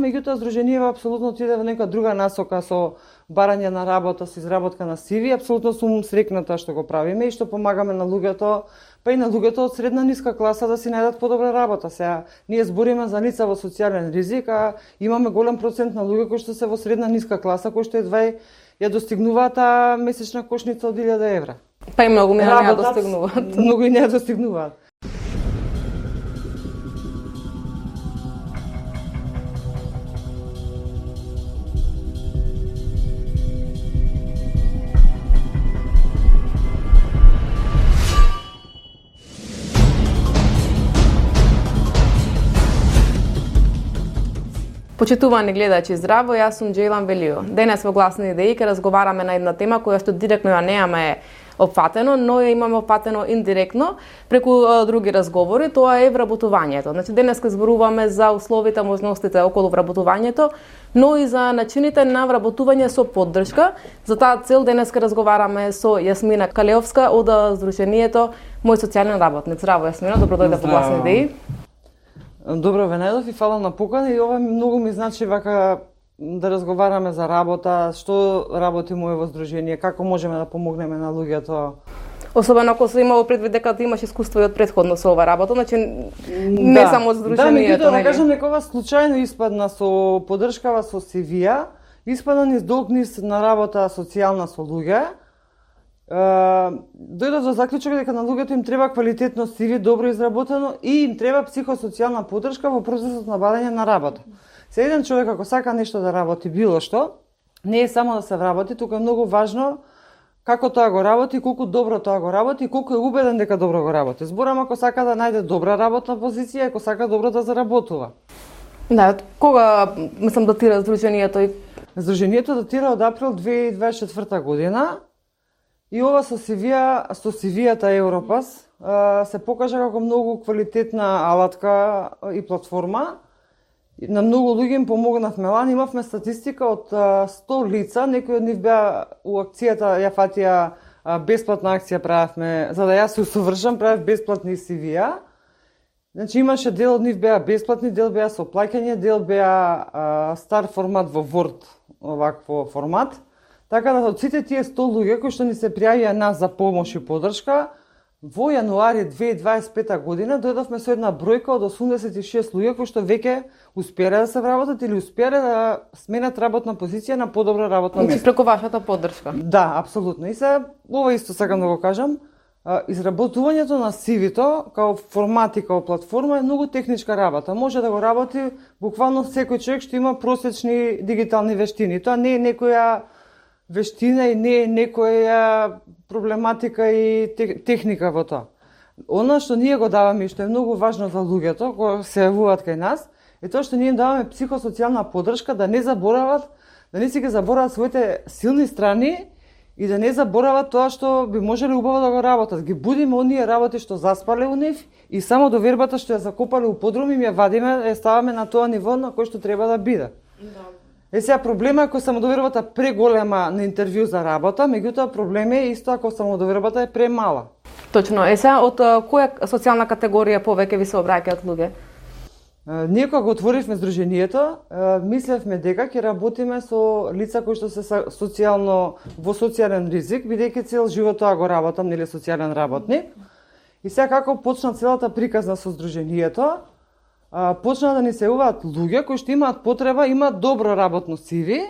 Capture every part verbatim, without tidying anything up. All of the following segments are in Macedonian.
меѓутоа здруженијава апсолутно отиде во нека друга насока со барање на работа, со изработка на сиви. Апсолутно сум среќната што го правиме и што помагаме на луѓето, па и на луѓето од средна ниска класа да си најдат подобра работа. Сега ние збориме за лица во социјален ризик, а имаме голем процент на луѓе кои што се во средна ниска класа, кои што едва ја достигнуваат таа месечна кошница од илјада евра. Па и многу мене не ја достигнуваат. Многу и не ја достигнуваат. Почитувани гледачи, здраво, јас сум Џејлан Велио. Денес во Гласни идеи ќе разговараме на една тема која што директно ја немаме опфатено, но ја имаме опфатено индиректно преку а, други разговори, тоа е вработувањето. Значи денес ќе зборуваме за условите, можностите околу вработувањето, но и за начините на вработување со поддршка. За таа цел денес ќе разговараме со Јасмина Калеовска од Здруженијето Мој социјален работник. Здраво, Јасмина, добро дојде во Гласни идеи. Добро ве најдов и фала на покана и ова многу ми значи вака да разговараме за работа, што работи моје здружение, како можеме да помогнеме на луѓето. Особено ако се имало предвид дека ти имаш искуство и од претходно со ова работа, значи не да, само од здруженијето. Да, меѓутоа да кажам дека ова случајно испадна со поддршкава со сивија, испадна низ долг низ на работа социјална со луѓе. Дојдов до заклучок дека на луѓето им треба квалитетно сиви, добро изработено и им треба психосоцијална поддршка во процесот на бадање на работа. Се еден човек ако сака нешто да работи било што, не е само да се вработи, тука е многу важно како тоа го работи, колку добро тоа го работи и колку е убеден дека добро го работи. Зборам ако сака да најде добра работна позиција, ако сака добро да заработува. Да, кога мислам датира здруженијето и Здруженијето датира од април две илјади дваесет и четврта година. И ова со сивија, со сивијата Европас се покажа како многу квалитетна алатка и платформа. На многу луѓе им помогнавме. Лани имавме статистика од сто лица, некои од нив беа у акцијата, ја фатија бесплатна акција правевме, за да јас се усовршам, правев бесплатни сивија. Значи имаше дел од нив беа бесплатни, дел беа со плаќање, дел беа стар формат во Word, овакво формат. Така да од сите тие сто луѓе кои што ни се пријавија нас за помош и поддршка, во јануари две илјади дваесет и пета година дојдовме со една бројка од осумдесет и шест луѓе кои што веќе успеале да се вработат или успеале да сменат работна позиција на подобро работно место. Значи преку вашата поддршка. Да, апсолутно. И се ова исто сакам да го кажам, изработувањето на сивито као формат и као платформа е многу техничка работа. Може да го работи буквално секој човек што има просечни дигитални вештини. Тоа не е некоја вештина и не е некоја проблематика и техника во тоа. Она што ние го даваме и што е многу важно за луѓето кои се јавуваат кај нас, е тоа што ние им даваме психосоцијална поддршка да не заборават, да не си ги заборават своите силни страни и да не заборават тоа што би можеле убаво да го работат. Ги будиме оние работи што заспале у нив и само до вербата што ја закопале у подрум им ја вадиме, ја ставаме на тоа ниво на кој што треба да биде. Да. Е сега проблема е ако самодовербата преголема на интервју за работа, меѓутоа проблем е исто ако самодовербата е премала. Точно. Е сега од која социјална категорија повеќе ви се обраќаат луѓе? Ние кога го отворивме здруженијето, мислевме дека ќе работиме со лица кои што се социјално во социјален ризик, бидејќи цел живот тоа го работам, нели социјален работник. И сега како почна целата приказна со здруженијето, почна да ни се јавуваат луѓе кои што имаат потреба, имаат добро работно сиви,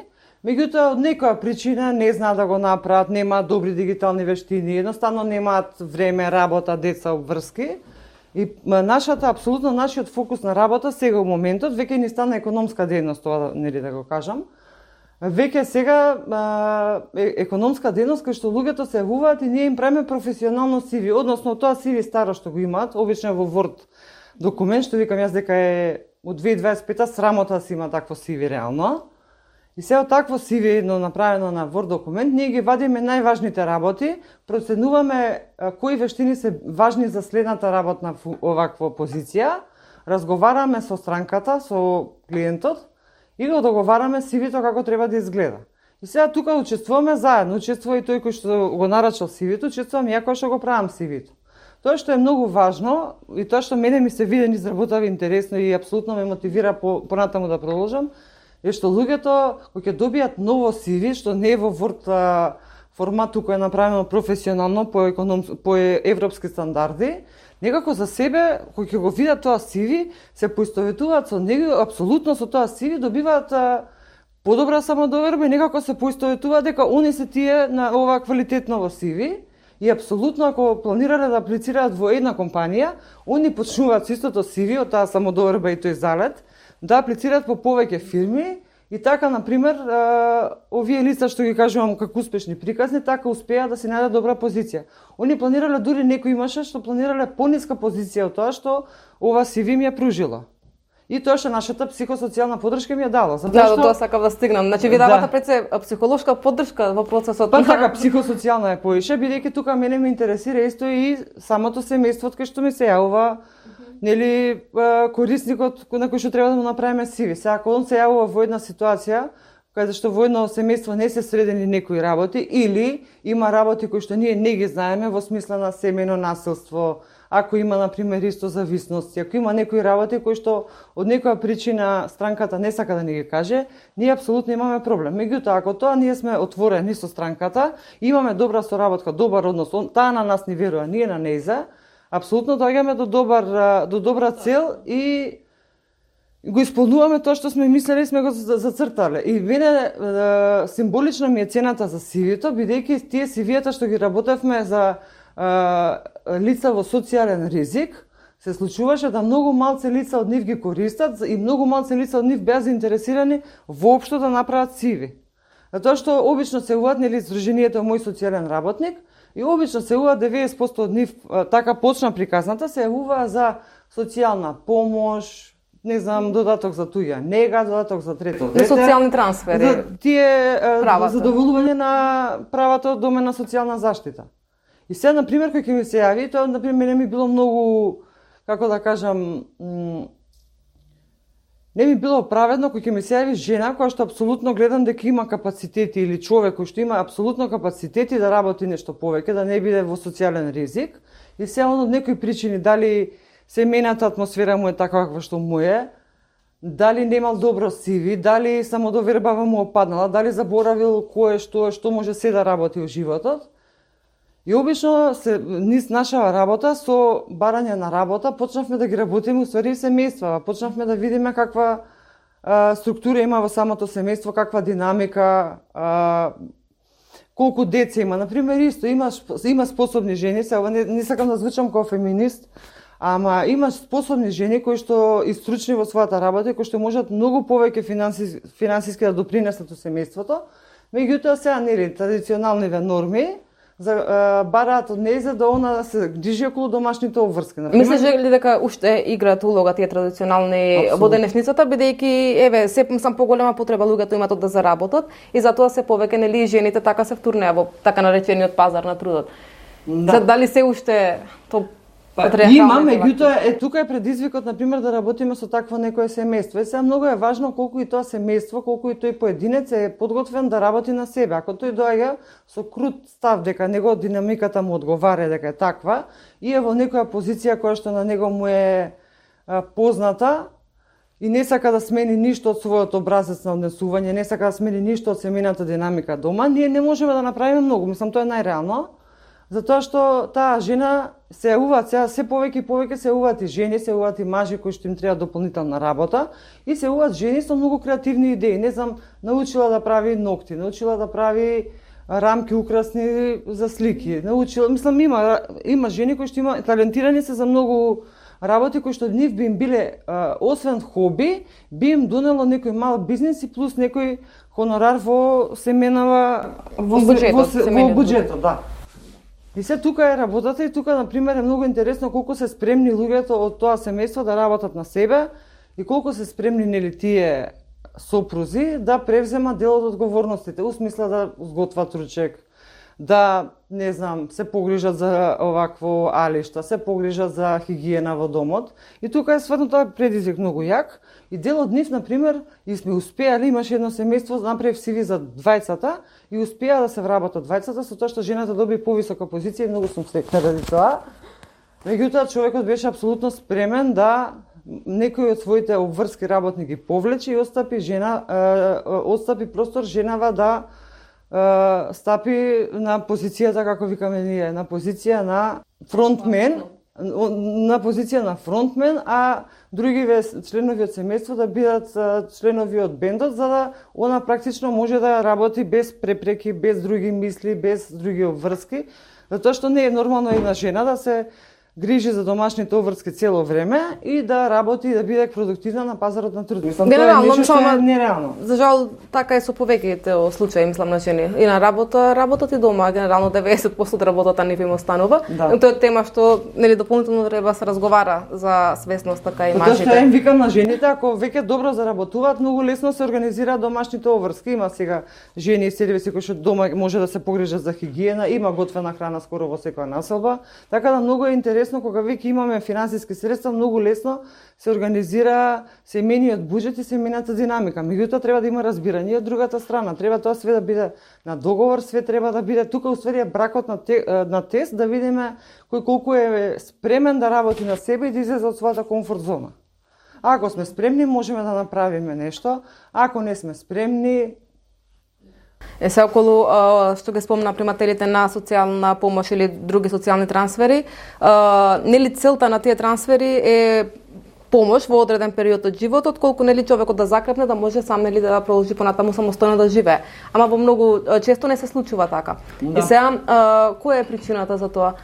меѓутоа од некоја причина не знаат да го направат, немаат добри дигитални вештини, едноставно немаат време, работа, деца, обврски. И нашата, апсолутно нашиот фокус на работа сега во моментот, веќе ни стана економска дејност, тоа нели да го кажам. Веќе сега е, економска дејност кај што луѓето се јавуваат и ние им правиме професионално сиви, односно тоа сиви старо што го имаат, обично во Word документ, што викам јас дека е од две илјади дваесет и пета срамота си има такво сиви реално. И се од такво сиви едно направено на Word документ, ние ги вадиме најважните работи, проценуваме кои вештини се важни за следната работна оваква позиција, разговараме со странката, со клиентот и го договараме сивито како треба да изгледа. И сега тука учествуваме заедно, учествува и тој кој што го нарачал сивито, учествувам ја кој што го правам сивито. Тоа што е многу важно и тоа што мене ми се види изработава интересно и апсолутно ме мотивира по понатаму да продолжам, е што луѓето кои ќе добијат ново си ви, што не е во Word формат кој е направено професионално по економ по европски стандарди, некако за себе кои ќе го видат тоа си ви, се поистоветуваат со него, апсолутно со тоа си ви добиваат подобра самодоверба и некако се поистоветуваат дека они се тие на ова квалитетно си ви. И апсолутно ако планирале да аплицираат во една компанија, они почнуваат со истото си ви од таа самодоверба и тој залет, да аплицираат по повеќе фирми и така, например, овие лица што ги кажувам како успешни приказни, така успеа да си најдат добра позиција. Они планирале, дури некој имаше што планирале пониска позиција од тоа што ова си ви ми ја пружило. И тоа што нашата психосоцијална поддршка ми ја дала. Затоа да, што... до тоа сакав да стигнам. Значи ви давате да. пред се психолошка поддршка во процесот. Па така, психосоцијална е поише, бидејќи тука мене ме интересира исто и самото семејство кај што ми се јавува, нели, корисникот на кој што треба да му направиме си ви. Сега ако он се јавува во една ситуација каде што во едно семејство не се средени некои работи или има работи кои што ние не ги знаеме во смисла на семејно насилство, ако има, например, исто зависности, ако има некои работи кои што од некоја причина странката не сака да ни ги каже, ние апсолутно имаме проблем. Меѓутоа, ако тоа ние сме отворени со странката, имаме добра соработка, добар однос, таа на нас ни верува, ние на нејза, апсолутно доаѓаме до добар до добра цел и го исполнуваме тоа што сме мислели и сме го зацртале. И мене символична ми е цената за си ви-то, бидејќи тие си ви-та што ги работевме за лица во социјален ризик, се случуваше да многу малце лица од нив ги користат и многу малце лица од нив беа заинтересирани воопшто да направат си ви. Затоа што обично се јавуваат, нели, Сдруженијето мој социјален работник и обично се јавуваат деветдесет проценти од нив, така почна приказната, се јавуваа за социјална помош, не знам, додаток за туја нега, додаток за трето дете. Социјални трансфери. За тие задоволување на правата од домена социјална заштита. И сега, например, кој ќе ми се јави, тоа, например, мене ми било многу, како да кажам, не ми било праведно кој ќе ми се јави жена која што апсолутно гледам дека има капацитети или човек кој што има апсолутно капацитети да работи нешто повеќе, да не биде во социјален ризик. И сега од некои причини, дали семејната атмосфера му е така каква што му е, дали немал добро си ви, дали самодовербава му опаднала, дали заборавил кое што што може се да работи во животот. И обично се низ наша работа со барање на работа почнавме да ги работиме уствари семејства, почнавме да видиме каква а, структура има во самото семејство, каква динамика, а, колку деца има. Например, исто има има способни жени, се ова не, не сакам да звучам како феминист, ама има способни жени кои што и стручни во својата работа, кои што можат многу повеќе финанси, финансиски да допринесат во семејството. Меѓутоа сега нели традиционалните норми за бараат од нејза да она се грижи околу домашните обврски. Мислиш ли дека уште играат улога тие традиционални во денешницата, бидејќи еве сепак сам поголема потреба луѓето имаат да заработат и затоа се повеќе нели жените така се втурнеа во така наречениот пазар на трудот. Да. За дали се уште то Па, има, меѓутоа е тука е предизвикот, например, да работиме со такво некое семејство. И сега многу е важно колку и тоа семејство, колку и тој поединец е подготвен да работи на себе. Ако тој доаѓа со крут став дека него динамиката му одговара, дека е таква, и е во некоја позиција која што на него му е а, позната и не сака да смени ништо од својот образец на однесување, не сака да смени ништо од семејната динамика дома, ние не можеме да направиме многу. Мислам, тоа е најреално. Затоа што таа жена се јавуваат, сега се повеќе и повеќе се јавуваат и жени, се јавуваат и мажи кои што им треба дополнителна работа и се јавуваат жени со многу креативни идеи. Не знам, научила да прави ногти, научила да прави рамки украсни за слики, научила, мислам има има жени кои што има талентирани се за многу работи кои што нив би им биле а, освен хоби, би им донело некој мал бизнис и плюс некој хонорар во семенава во буџетот, во, во, во буџетот, да. И се тука е работата и тука, например, е многу интересно колку се спремни луѓето од тоа семејство да работат на себе и колку се спремни нели тие сопрузи да превземат дел од одговорностите, у смисла да сготват ручек, да, не знам, се погрижат за овакво алишта, се погрижат за хигиена во домот. И тука е сватно тоа предизвик многу јак. И дел од нив, например, и сме успеале, имаше едно семејство, направив си ви за двајцата и успеа да се вработат двајцата со тоа што жената доби повисока позиција и многу сум среќна ради тоа. Меѓутоа човекот беше апсолутно спремен да некој од своите обврски работни ги повлече и остапи жена, е, остапи простор женава да е, стапи на позицијата, како викаме ние, на позиција на фронтмен, на позиција на фронтмен, а другиве членови од семејство да бидат членови од бендот, за да она практично може да работи без препреки, без други мисли, без други обврски, затоа што не е нормално една жена да се грижи за домашните обврски цело време и да работи и да биде продуктивна на пазарот на труд. Мислам, тоа е нешто што е нереално. За жал, така е со повеќето случаи, мислам, на жени. И на работа, работат и дома, генерално деветдесет проценти од работата не им останува. Да. Тоа е тема што нели дополнително треба да се разговара за свесност така и мажите. Тоа што им викам на жените, ако веќе добро заработуваат, многу лесно се организираат домашните обврски. Има сега жени и сервиси кои што дома може да се погрижат за хигиена, има готвена храна скоро во секоја населба, така да многу е интересно кога веќе имаме финансиски средства, многу лесно се организира семејниот буџет и семејната динамика. Меѓутоа треба да има разбирање од другата страна. Треба тоа све да биде на договор, све треба да биде тука уствари е бракот на, те, на тест да видиме кој колку е спремен да работи на себе и да излезе од својата комфорт зона. Ако сме спремни, можеме да направиме нешто. Ако не сме спремни, Е се околу а, што ги спомна примателите на социјална помош или други социјални трансфери, а, нели целта на тие трансфери е помош во одреден период од животот, колку нели човекот да закрепне да може сам нели да продолжи понатаму самостојно да живее. Ама во многу често не се случува така. Да. И сега која е причината за тоа?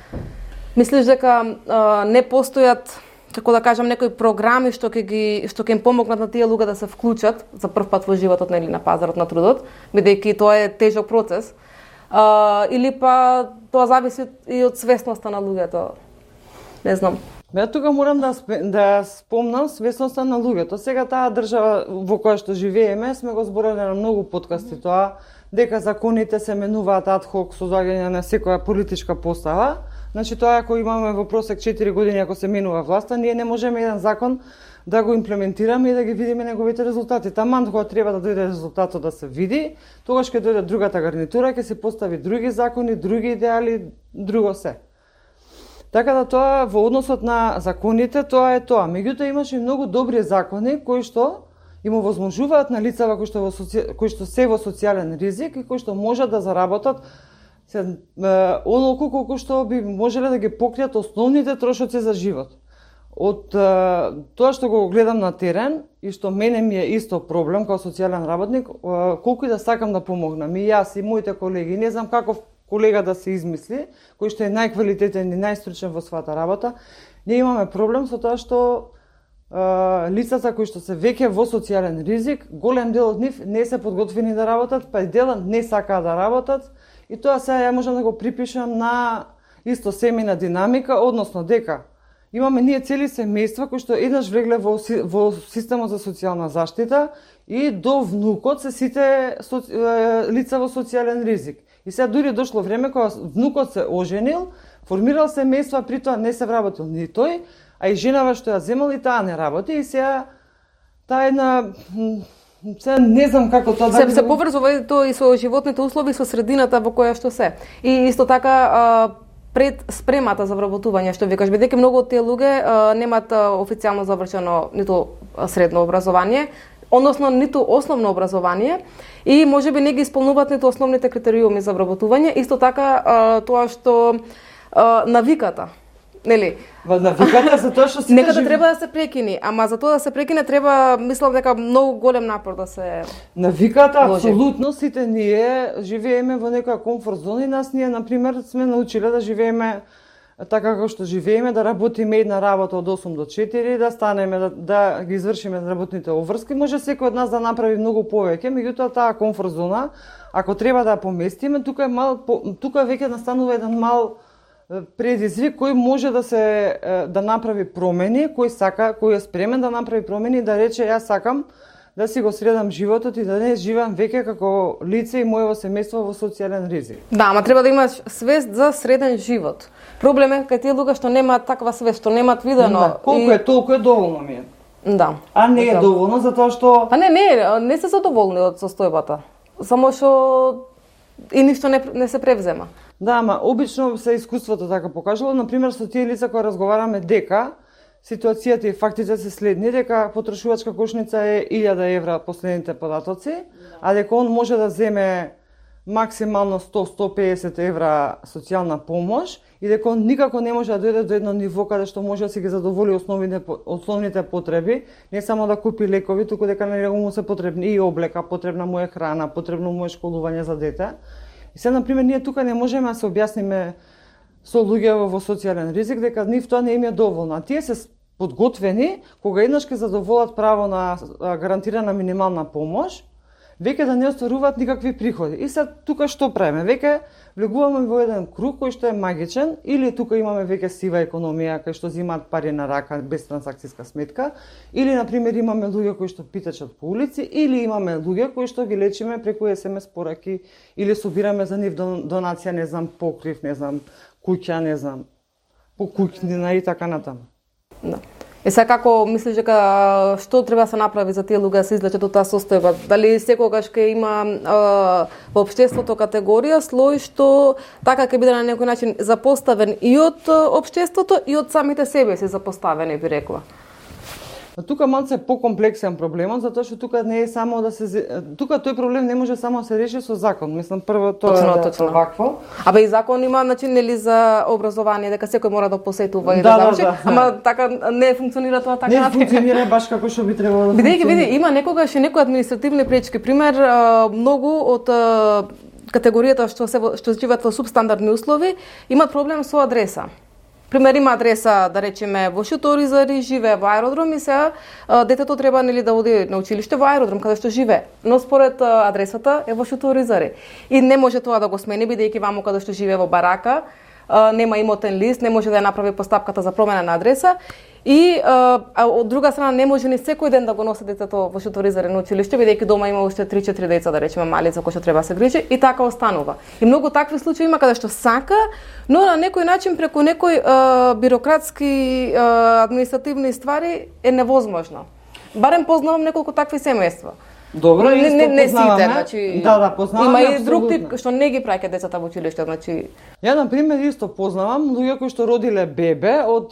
Мислиш дека а, не постојат, како да кажам, некои програми што ќе ги што ќе им помогнат на тие луѓе да се вклучат за прв пат во животот нели на пазарот на трудот, бидејќи тоа е тежок процес. А, или па тоа зависи и од свесноста на луѓето. Не знам. Ја тука морам да да спомнам свесноста на луѓето. Сега таа држава во која што живееме, сме го збореле на многу подкасти тоа, дека законите се менуваат ад хок со доаѓање на секоја политичка постава. Значи тоа ако имаме во просек четири години ако се менува власта, ние не можеме еден закон да го имплементираме и да ги видиме неговите резултати. Таман кога треба да дојде резултатот да се види, тогаш ќе дојде другата гарнитура, ќе се постави други закони, други идеали, друго се. Така да тоа во односот на законите тоа е тоа. Меѓутоа имаше многу добри закони кои што им овозможуваат на лицава кои што во соци... кои што се во социјален ризик и кои што можат да заработат се онолку колку што би можеле да ги покријат основните трошоци за живот. Од е, тоа што го гледам на терен и што мене ми е исто проблем како социјален работник, е, колку и да сакам да помогнам и јас и моите колеги, не знам каков колега да се измисли, кој што е најквалитетен и најстручен во својата работа, ние имаме проблем со тоа што е, лицата кои што се веќе во социјален ризик, голем дел од нив не се подготвени да работат, па и делот не сакаат да работат. И тоа сега ја можам да го припишам на исто семејна динамика, односно дека имаме ние цели семејства кои што еднаш влегле во, во системот за социјална заштита и до внукот се сите со, е, лица во социјален ризик. И сега дури дошло време кога внукот се оженил, формирал семејство, при тоа не се вработил ни тој, а и женава што ја земал и таа не работи и сега таа една Се не знам како тоа да се, се поврзува тоа и со животните услови, со средината во која што се. И исто така а, пред спремата за вработување, што викаш, бидејќи многу од тие луѓе а, немаат а, официјално завршено ниту средно образование, односно ниту основно образование и можеби не ги исполнуваат ниту основните критериуми за вработување, исто така а, тоа што а, навиката, нели? Во навиката за тоа што сите Некада жив... треба да се прекини, ама за тоа да се прекине треба, мислам дека многу голем напор да се навиката вложи. Апсолутно сите ние живееме во некоја комфорт зона и нас ние на пример сме научиле да живееме така како што живееме, да работиме една работа од осум до четири, да станеме да, да ги извршиме работните обврски. Може секој од нас да направи многу повеќе, меѓутоа таа комфорт зона, ако треба да ја поместиме, тука е мал тука веќе настанува еден мал предизвик кој може да се да направи промени, кој сака, кој е спремен да направи промени и да рече јас сакам да си го средам животот и да не живеам веќе како лице и моево семејство во социјален ризик. Да, ама треба да имаш свест за среден живот. Проблем е кај тие луѓе што немаат таква свест, што немаат видено. Да, колку и... е толку е доволно ми е. Да. А не е доволно затоа што А не, не, не се задоволни од состојбата. Само што и ништо не, не се превзема. Да, ама обично се искуството така покажало, например со тие лица кои разговараме дека ситуацијата и фактите се следни, дека потрошувачка кошница е илјада евра последните податоци, а дека он може да земе максимално сто до сто и песет евра социјална помош и дека он никако не може да дојде до едно ниво каде што може да си ги задоволи основните основните потреби, не само да купи лекови, туку дека на него му се потребни и облека, потребна му е храна, потребно му е школување за дете. И се, например, ние тука не можеме да се објасниме со луѓе во социјален ризик дека нив тоа не им е доволно. А тие се подготвени кога еднаш ќе задоволат право на гарантирана минимална помош, веќе да не остваруваат никакви приходи. И сега тука што правиме? Веќе влегуваме во еден круг кој што е магичен, или тука имаме веќе сива економија кај што земаат пари на рака без трансакцијска сметка, или на пример имаме луѓе кои што питачат по улици, или имаме луѓе кои што ги лечиме преку ес ем ес пораки или собираме за нив донација, не знам, покрив, не знам, куќа, не знам, по куќнина и така натаму. Да. Е сега како мислиш дека што треба да се направи за тие луѓе да се излечат од таа состојба? Дали секогаш ќе има а, во општеството категорија слој што така ќе биде на некој начин запоставен и од општеството и од самите себе си запоставени, би рекла? Тука малце покомплексен проблемот, затоа што тука не е само да се тука тој проблем не може само да се реши со закон. Мислам прво тоа точно, е точно. вакво. Абе и закон има начин нели за образование дека секој мора да посетува и да, да заврши, да, да, ама така не функционира тоа така. Не функционира баш како што би требало да функционира. Бидејќи види, има некогаш и некои административни пречки, пример многу од категоријата што се што живеат во субстандардни услови имаат проблем со адреса. Пример, има адреса, да речеме, во Шуторизари, живее во аеродром и сега детето треба нели да оди на училиште во аеродром каде што живее, но според адресата е во Шуторизари. И не може тоа да го смени бидејќи ваму каде што живее во барака, нема имотен лист, не може да ја направи постапката за промена на адреса. И а, од друга страна не може ни секој ден да го носи детето во Шуторизари на училиште, бидејќи дома има уште три-четири деца, да речеме, мали за кои што треба да се грижи и така останува. И многу такви случаи има каде што сака, но на некој начин преку некои а, бирократски а, административни ствари е невозможно. Барем познавам неколку такви семејства. Добро, не, исто не, не познаваме. сите, значи да, да, познаваме. Има и друг тип што не ги праќаат децата во училиште, значи. Ја на пример исто познавам луѓе кои што родиле бебе од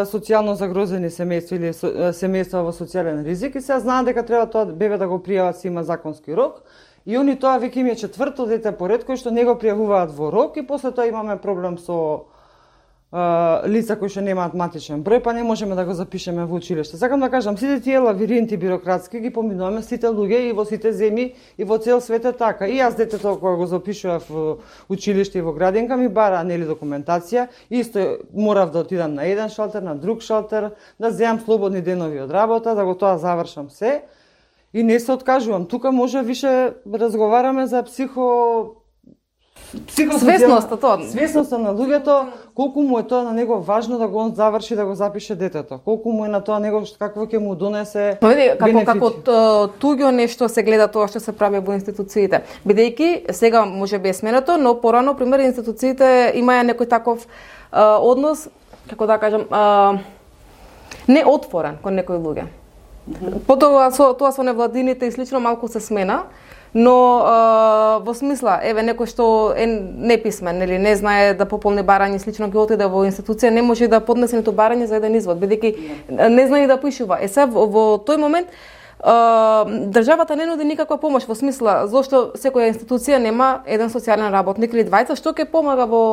социјално загрозени семејства или семејства во социјален ризик и сега знаат дека треба тоа бебе да го пријават, си има законски рок. И они тоа веќе им е четврто дете поред кои што не го пријавуваат во рок и после тоа имаме проблем со лица кои што немаат матичен број, па не можеме да го запишеме во училиште. Сакам да кажам, сите тие лавиринти бирократски ги поминуваме сите луѓе и во сите земји и во цел свет е така. И јас детето кога го запишував во училиште и во градинка ми бара нели документација, исто морав да отидам на еден шалтер, на друг шалтер, да земам слободни денови од работа, да го тоа завршам се. И не се откажувам. Тука може више разговараме за психо Свесноста тоа. Свесноста на луѓето, колку му е тоа на него важно да го заврши, да го запише детето. Колку му е на тоа него какво ќе му донесе бенефити. Како како туѓо нешто се гледа тоа што се прави во институциите. Бидејќи сега може би е сменето, но порано пример институциите имаја некој таков а, однос, како да кажам, а, неотворен кон некои луѓе. Mm-hmm. Потоа со тоа со невладините и слично малку се смена. Но а, во смисла, еве некој што е неписмен или не знае да пополни барање, слично ќе отиде во институција, не може да поднесе ниту барање за еден извод, бидејќи не знае да пишува. Е сега во, во тој момент а, државата не нуди никаква помош, во смисла зошто секоја институција нема еден социјален работник или двајца што ќе помага во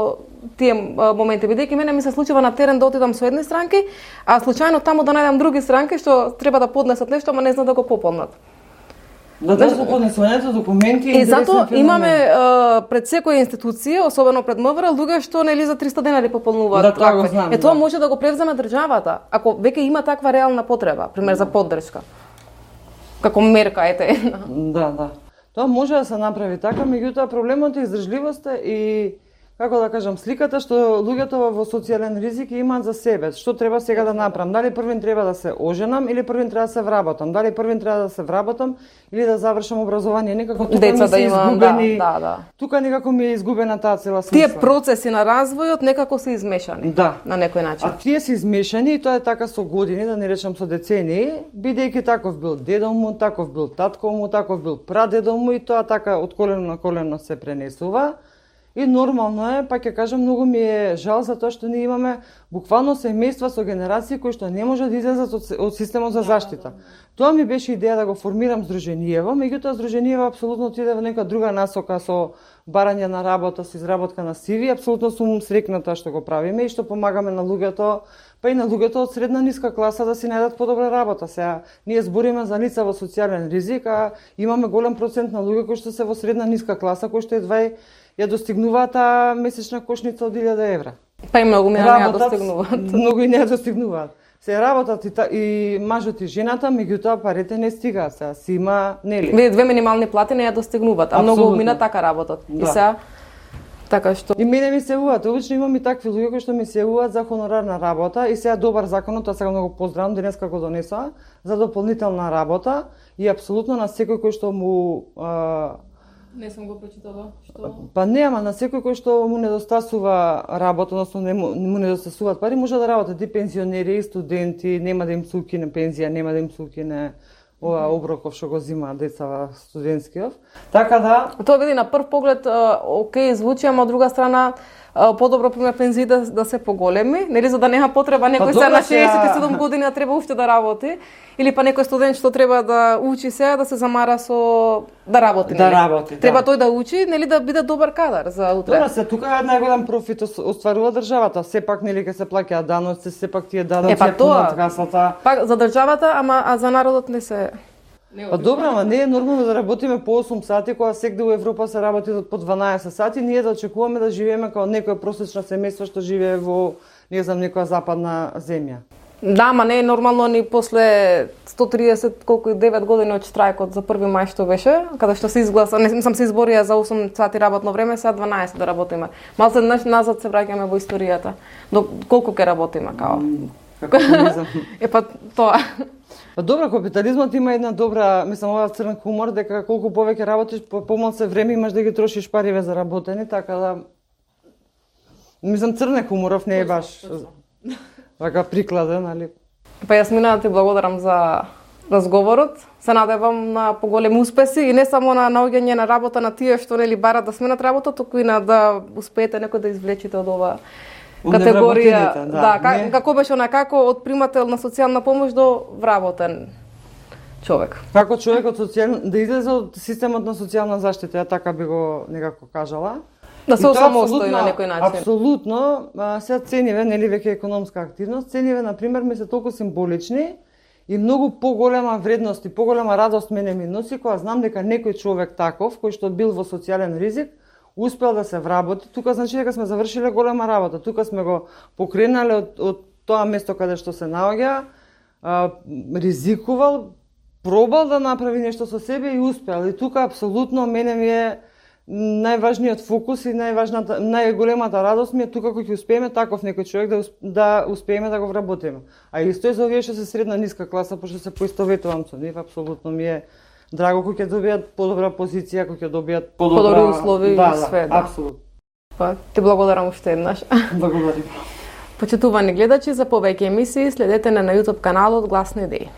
тие моменти, бидејќи мене ми се случува на терен да отидам со едни странки, а случајно таму да најдам други странки што треба да поднесат нешто, ама не знаат да го пополнат. Да да се поднесувањето документи и затоа имаме а, пред секоја институција, особено пред МВР, луѓе што нели за триста денари пополнуваат. Да, тоа го знам. Е тоа да. може да го превземе државата, ако веќе има таква реална потреба, пример за поддршка. Како мерка ете. Да, да. Тоа може да се направи така, меѓутоа проблемот е издржливоста и како да кажам, сликата што луѓето во социјален ризик имаат за себе. Што треба сега да направам? Дали првин треба да се оженам или првин треба да се вработам? Дали првин треба да се вработам или да завршам образование? Некако тука деца ми се да има, изгубени. Да, да, да. Тука некако ми е изгубена таа цела смисла. Тие процеси на развојот некако се измешани. Да. На некој начин. А тие се измешани и тоа е така со години, да не речам со децении, бидејќи таков бил дедо му, таков бил татко му, таков бил прадедо му и тоа така од колено на колено се пренесува. И нормално е, па ќе кажам, многу ми е жал за тоа што ние имаме буквално семејства со генерации кои што не можат да излезат од, од системот за заштита. Тоа ми беше идеја да го формирам Здруженијево, меѓутоа Здруженијево апсолутно отиде во нека друга насока со барање на работа, со изработка на си ви. Апсолутно сум среќната што го правиме и што помагаме на луѓето, па и на луѓето од средна ниска класа да си најдат подобра работа. Сега ние збориме за лица во социјален ризик, а имаме голем процент на луѓе кои што се во средна ниска класа, кои што едва ја достигнуваат таа месечна кошница од илјада евра. Па и многу не ја достигнуваат. Многу и не ја достигнуваат. Се работат и, та, и мажот и жената, меѓутоа парите не стигаат, сега си има, нели? Вие две минимални плати не ја достигнуваат, а многу мина така работат. Да. И сега така што и мене ми се јавуваат, обично имам и такви луѓе кои што ми се јавуваат за хонорарна работа и сега добар законот, тоа сега многу поздравам, денеска го донесоа за дополнителна работа и апсолутно на секој кој што му а, не сум го прочитала, што па не, ама на секој кој што му недостасува работа, односно не му, му недостасуваат пари, може да работат и пензионери, и студенти, нема да им се укине пензија, нема да им се укине ова оброков што го зимаат деца студентскиот. Така да, тоа види на прв поглед окей звучи, ама од друга страна подобро пример пензии да, да се поголеми, нели за да нема потреба некој сега на шеесет и седум години да треба уште да работи, или па некој студент што треба да учи сега да се замара со да работи, да нели? работи, треба да. Тој да учи, нели да биде добар кадар за утре. Добра се, тука е најголем профит остварува државата, сепак нели ќе се плаќаат даноци, сепак тие даноци е, па тоа, касата. Па за државата, ама а за народот не се. Па добро, ама не е нормално да работиме по осум сати, кога секде во Европа се работи по дванаесет сати, ние да очекуваме да живееме како некоја просечна семејство што живее во, не знам, некоја западна земја. Да, ама не е нормално ни после сто триесет колку и девет години од штрајкот за први мај што беше, каде што се изгласа, не сам се изборија за осум сати работно време, сега дванаесет да работиме. Малце наш назад се враќаме во историјата. До колку ќе работиме као? Капитализам. Е па тоа. Па добро, капитализмот има една добра, мислам, ова црн хумор, дека колку повеќе работиш, по помалце време имаш да ги трошиш париве за работење, така да мислам црне хуморов не е баш така прикладен, али. Па јас мина да ти благодарам за разговорот. Се надевам на поголеми успеси и не само на наоѓање на работа на тие што нели барат да сменат работа, туку и на да успеете некој да извлечите од ова категорија, да, да как, како беше она, како од примател на социјална помош до вработен човек. Како човек од социјална, да излезе од системот на социјална заштита, ја така би го некако кажала. Да се осамостои на некој начин. Апсолутно, сега цениве, нели веќе економска активност, цениве на пример ми се толку символични и многу поголема вредност и поголема радост мене ми носи кога знам дека некој човек таков кој што бил во социјален ризик успел да се вработи, тука значи дека сме завршиле голема работа. Тука сме го покренале од, од тоа место каде што се наоѓа, а, ризикувал, пробал да направи нешто со себе и успел. И тука апсолутно мене ми е најважниот фокус и најважната, најголемата радост ми е тука кога ќе успееме таков некој човек да, да успееме да го вработиме. А исто е за овие што се средна ниска класа, пошто се поистоветувам со нив, апсолутно ми е драго кој ќе добијат подобра позиција, кој ќе добијат подобра... подобри услови да, и све. Да, апсолутно. Па, ти благодарам уште еднаш. Благодарим. Почитувани гледачи, за повеќе емисии следете на YouTube каналот Гласни идеи.